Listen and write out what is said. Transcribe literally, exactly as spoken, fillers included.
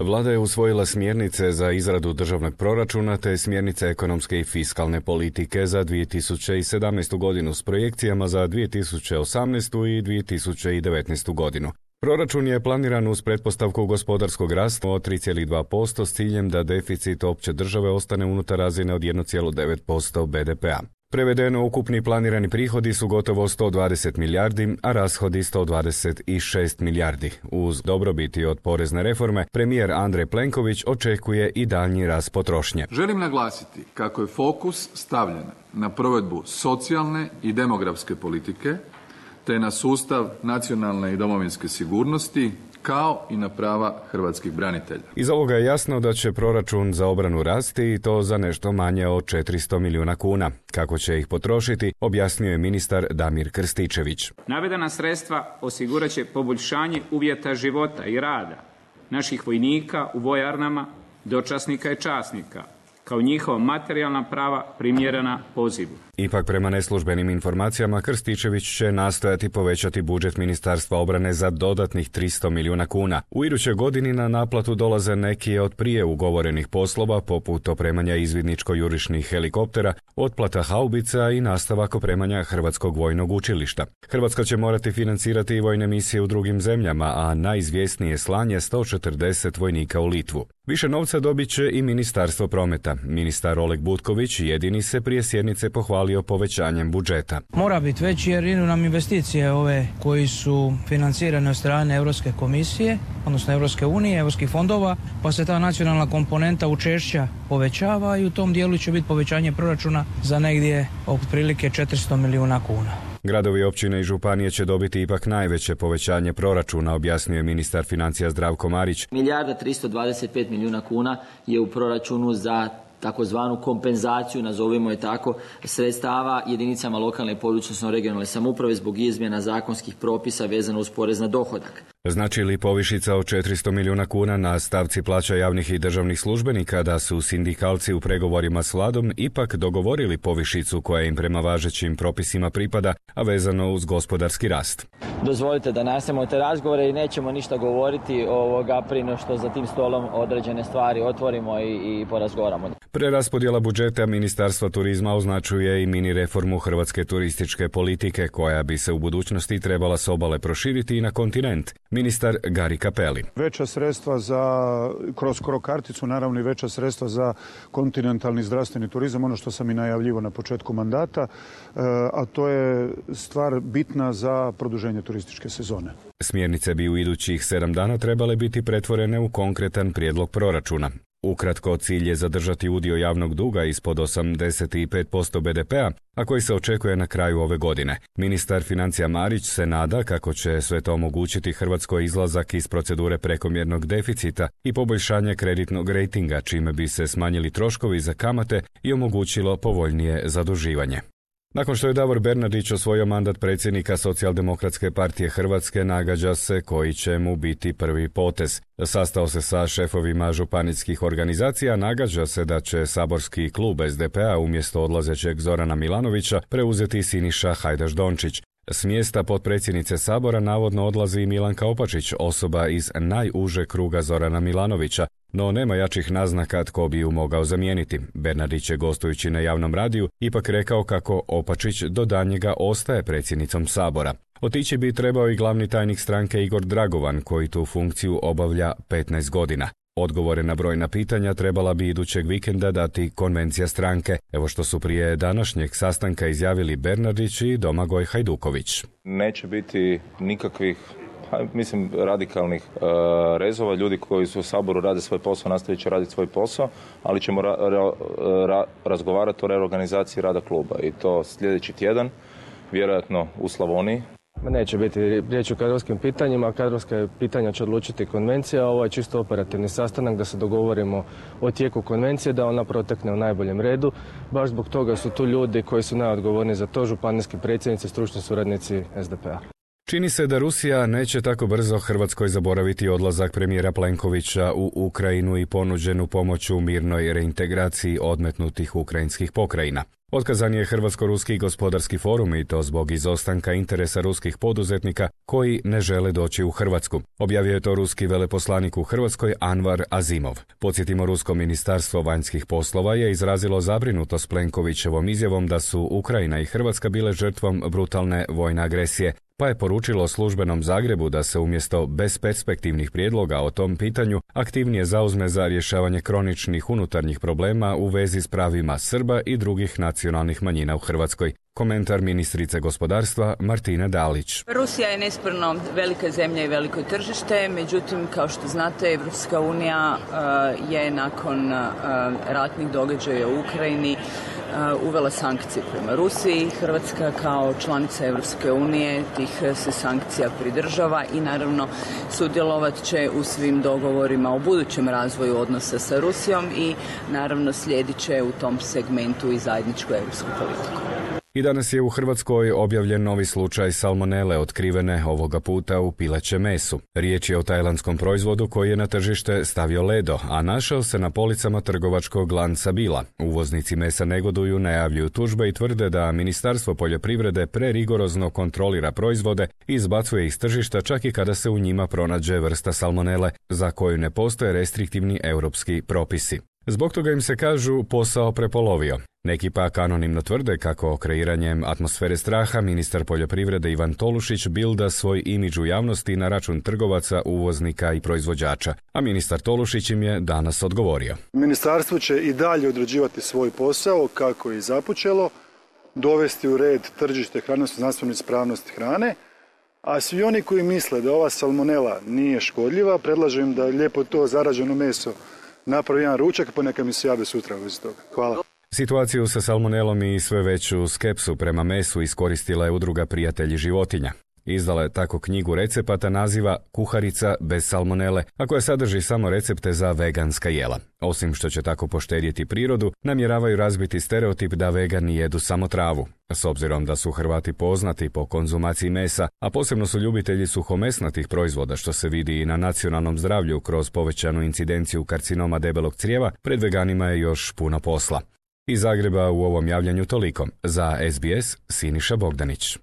Vlada je usvojila smjernice za izradu državnog proračuna te smjernice ekonomske i fiskalne politike za dvije tisuće sedamnaestu godinu s projekcijama za dvije tisuće osamnaestu i dvije tisuće devetnaestu godinu. Proračun je planiran uz pretpostavku gospodarskog rasta od tri zarez dva posto s ciljem da deficit opće države ostane unutar razine od jedan zarez devet posto be de pea. Prevedeno, ukupni planirani prihodi su gotovo sto dvadeset milijardi, a rashodi sto dvadeset šest milijardi. Uz dobrobiti od porezne reforme, premijer Andrej Plenković očekuje i daljnji rast potrošnje. Želim naglasiti kako je fokus stavljen na provedbu socijalne i demografske politike, te na sustav nacionalne i domovinske sigurnosti, kao i na prava hrvatskih branitelja. Iz ovoga je jasno da će proračun za obranu rasti i to za nešto manje od četiristo milijuna kuna. Kako će ih potrošiti, objasnio je ministar Damir Krstičević. Navedena sredstva osigurat će poboljšanje uvjeta života i rada naših vojnika u vojarnama, dočasnika i časnika, kao njihova materijalna prava primjerena pozivu. Ipak, prema neslužbenim informacijama, Krstičević će nastojati povećati budžet Ministarstva obrane za dodatnih tristo milijuna kuna. U idućoj godini na naplatu dolaze neki od prije ugovorenih poslova, poput opremanja izvidničko-jurišnih helikoptera, otplata haubica i nastavak opremanja Hrvatskog vojnog učilišta. Hrvatska će morati financirati i vojne misije u drugim zemljama, a najizvjesnije slanje sto četrdeset vojnika u Litvu. Više novca dobit će i Ministarstvo prometa. Ministar Oleg Butković jedini se prije sjednice pohvalio povećanjem budžeta. Mora biti veći jer idu nam investicije ove koji su financirane od strane Europske komisije, odnosno Europske unije, europskih fondova, pa se ta nacionalna komponenta učešća povećava i u tom dijelu će biti povećanje proračuna za negdje otprilike četiristo milijuna kuna. Gradovi, općine i županije će dobiti ipak najveće povećanje proračuna, objasnio je ministar financija Zdravko Marić. Milijarda tristo dvadeset pet milijuna kuna je u proračunu za takozvanu kompenzaciju, nazovimo je tako, sredstava jedinicama lokalne i područne regionalne samouprave zbog izmjena zakonskih propisa vezano uz porez na dohodak. Znači li povišica od četiristo milijuna kuna na stavci plaća javnih i državnih službenika da su sindikalci u pregovorima s vladom ipak dogovorili povišicu koja im prema važećim propisima pripada, a vezano uz gospodarski rast? Dozvolite da nastavimo te razgovore i nećemo ništa govoriti ovoga prije no što za tim stolom određene stvari otvorimo i, i porazgovaramo. Preraspodjela budžeta Ministarstva turizma označuje i mini reformu hrvatske turističke politike koja bi se u budućnosti trebala s obale proširiti i na kontinent. Ministar Gari Cappelli. Veća sredstva za, kroz Cro karticu, naravno i veća sredstva za kontinentalni zdravstveni turizam, ono što sam i najavljivo na početku mandata, a to je stvar bitna za produženje turističke sezone. Smjernice bi u idućih sedam dana trebale biti pretvorene u konkretan prijedlog proračuna. Ukratko, cilj je zadržati udio javnog duga ispod osamdeset pet posto be de pea, a koji se očekuje na kraju ove godine. Ministar financija Marić se nada kako će sve to omogućiti Hrvatskoj izlazak iz procedure prekomjernog deficita i poboljšanje kreditnog rejtinga, čime bi se smanjili troškovi za kamate i omogućilo povoljnije zaduživanje. Nakon što je Davor Bernardić osvojio mandat predsjednika Socijaldemokratske partije Hrvatske, nagađa se koji će mu biti prvi potez. Sastao se sa šefovima županijskih organizacija, nagađa se da će saborski klub es de pea umjesto odlazećeg Zorana Milanovića preuzeti Siniša Hajdaš Dončić. S mjesta potpredsjednice Sabora navodno odlazi Milanka Opačić, osoba iz najuže kruga Zorana Milanovića, no nema jačih naznaka tko bi ju mogao zamijeniti. Bernardić je, gostujući na javnom radiju, ipak rekao kako Opačić do danjega ostaje predsjednicom Sabora. Otići bi trebao i glavni tajnik stranke Igor Dragovan, koji tu funkciju obavlja petnaest godina. Odgovore na brojna pitanja trebala bi idućeg vikenda dati konvencija stranke, evo što su prije današnjeg sastanka izjavili Bernardić i Domagoj Hajduković. Neće biti nikakvih, mislim, radikalnih e, rezova. Ljudi koji su u Saboru rade svoj posao, nastavit će raditi svoj posao, ali ćemo ra, ra, ra, razgovarati o reorganizaciji rada kluba i to sljedeći tjedan, vjerojatno u Slavoniji. Neće biti riječ o kadrovskim pitanjima, kadrovske pitanja će odlučiti konvencija, ovo je čisto operativni sastanak da se dogovorimo o tijeku konvencije, da ona protekne u najboljem redu. Baš zbog toga su tu ljudi koji su najodgovorniji za to, županijski predsjednici, stručni suradnici es de pea. Čini se da Rusija neće tako brzo Hrvatskoj zaboraviti odlazak premijera Plenkovića u Ukrajinu i ponuđenu pomoć u mirnoj reintegraciji odmetnutih ukrajinskih pokrajina. Otkazan je Hrvatsko-ruski gospodarski forum i to zbog izostanka interesa ruskih poduzetnika koji ne žele doći u Hrvatsku. Objavio je to ruski veleposlanik u Hrvatskoj Anvar Azimov. Podsjetimo, rusko ministarstvo vanjskih poslova je izrazilo zabrinutost Plenkovićevom izjavom da su Ukrajina i Hrvatska bile žrtvom brutalne vojne agresije, pa je poručilo službenom Zagrebu da se umjesto besperspektivnih prijedloga o tom pitanju aktivnije zauzme za rješavanje kroničnih unutarnjih problema u vezi s pravima Srba i drugih nacionalnih manjina u Hrvatskoj. Komentar ministrice gospodarstva Martine Dalić. Rusija je nesporno velika zemlja i veliko tržište, međutim, kao što znate, Evropska unija uh, je nakon uh, ratnih događaja u Ukrajini uh, uvela sankcije prema Rusiji. Hrvatska kao članica Evropske unije tih se sankcija pridržava i naravno sudjelovat će u svim dogovorima o budućem razvoju odnosa sa Rusijom i naravno slijedit će u tom segmentu i zajedničku europsku politiku. I danas je u Hrvatskoj objavljen novi slučaj salmonele otkrivene ovoga puta u pilećem mesu. Riječ je o tajlandskom proizvodu koji je na tržište stavio Ledo, a našao se na policama trgovačkog lanca Bila. Uvoznici mesa negoduju, najavljuju tužbe i tvrde da Ministarstvo poljoprivrede prerigorozno kontrolira proizvode i izbacuje iz tržišta čak i kada se u njima pronađe vrsta salmonele za koju ne postoje restriktivni europski propisi. Zbog toga im se, kažu, posao prepolovio. Neki pak anonimno tvrde kako kreiranjem atmosfere straha ministar poljoprivrede Ivan Tolušić bilda svoj imidž u javnosti na račun trgovaca, uvoznika i proizvođača, a ministar Tolušić im je danas odgovorio. Ministarstvo će i dalje odrađivati svoj posao kako je započelo, dovesti u red tržište hrane, znanstvenu ispravnost hrane, a svi oni koji misle da ova salmonela nije škodljiva, predlažem da lijepo to zarađeno meso napravi jedan ručak, pa neka mi se jave sutra u vezi toga. Hvala. Situaciju sa salmonelom i sve veću skepsu prema mesu iskoristila je udruga Prijatelji životinja. Izdala je tako knjigu recepata naziva Kuharica bez salmonele, a koja sadrži samo recepte za veganska jela. Osim što će tako poštedjeti prirodu, namjeravaju razbiti stereotip da vegani jedu samo travu. S obzirom da su Hrvati poznati po konzumaciji mesa, a posebno su ljubitelji suhomesnatih proizvoda, što se vidi i na nacionalnom zdravlju kroz povećanu incidenciju karcinoma debelog crijeva, pred veganima je još puno posla. Iz Zagreba u ovom javljanju toliko. Za S B S, Siniša Bogdanić.